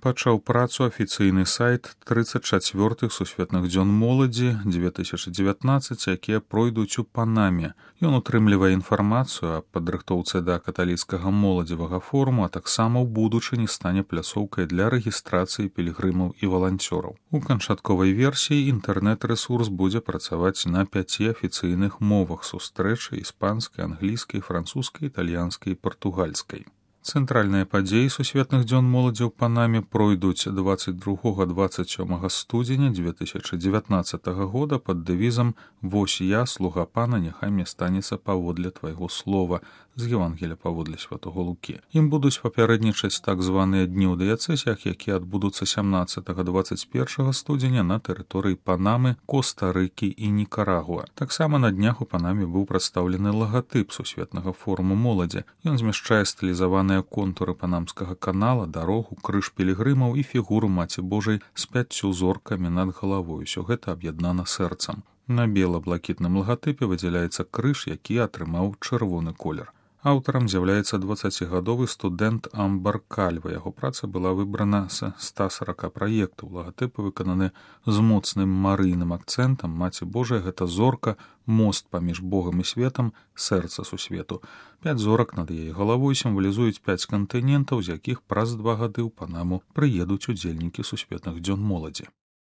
Пачаў працу афіцыйны сайт 34-х сусветных дзён моладзі 2019, якія пройдуць у Панаме. Ён утрымлівае інфармацыю аб падрыхтоўцы да каталіцкага моладзевага форуму, а таксама ў будучыні стане пляцоўкай для рэгістрацыі пілігрымаў і валанцёраў. У канчатковай версіі інтэрнэт-рэсурс будзе працаваць на 5 афіцыйных мовах сустрэчы іспанскай, англійскай, французскай, італьянскай і партугальскай. Цэнтральныя падзеі сусветных дзён моладзі ў Панаме пройдуць 22-27 студзеня 2019 года пад дэвізам «Вось я, слуга пана, няхай мне станецца паводле твайго слова» з Евангелія паводле святого Лукі. Ім будуць папярэднічаць так званыя дні ў дыяцэзіях, якія адбудуцца 17-21 студзеня на тэрыторыі Панамы, Коста-Рыкі і Нікарагуа. Таксама на днях у Панаме быў прадстаўлены лагатып сусветнага форуму моладзі. Ён змяшчае стылізаваныя контуры панамскага канала, дарогу, крыж пілігрымаў і фігуру Маці Божай з 5 зоркамі над галавой. Усё гэта аб'яднана сэрцам. На бела-блакітным лагатыпе выдзяляецца крыж, які атрымаў чырвоны колер. Аўтарам з'яўляецца 20гадовы студэнт Амбар Кальва. Яго праца была выбрана з 140 праектаў. Лагатыпы выкананы з моцным марыйным акцэнтам. Маці Божая — гэта зорка, мост паміж Богам і светам, сэрца сусвету. 5 зорак над яе галавой сімвалізуюць 5 кантынентаў, з якіх праз 2 гады ў Панаму прыедуць удзельнікі сусветных дзён моладзі.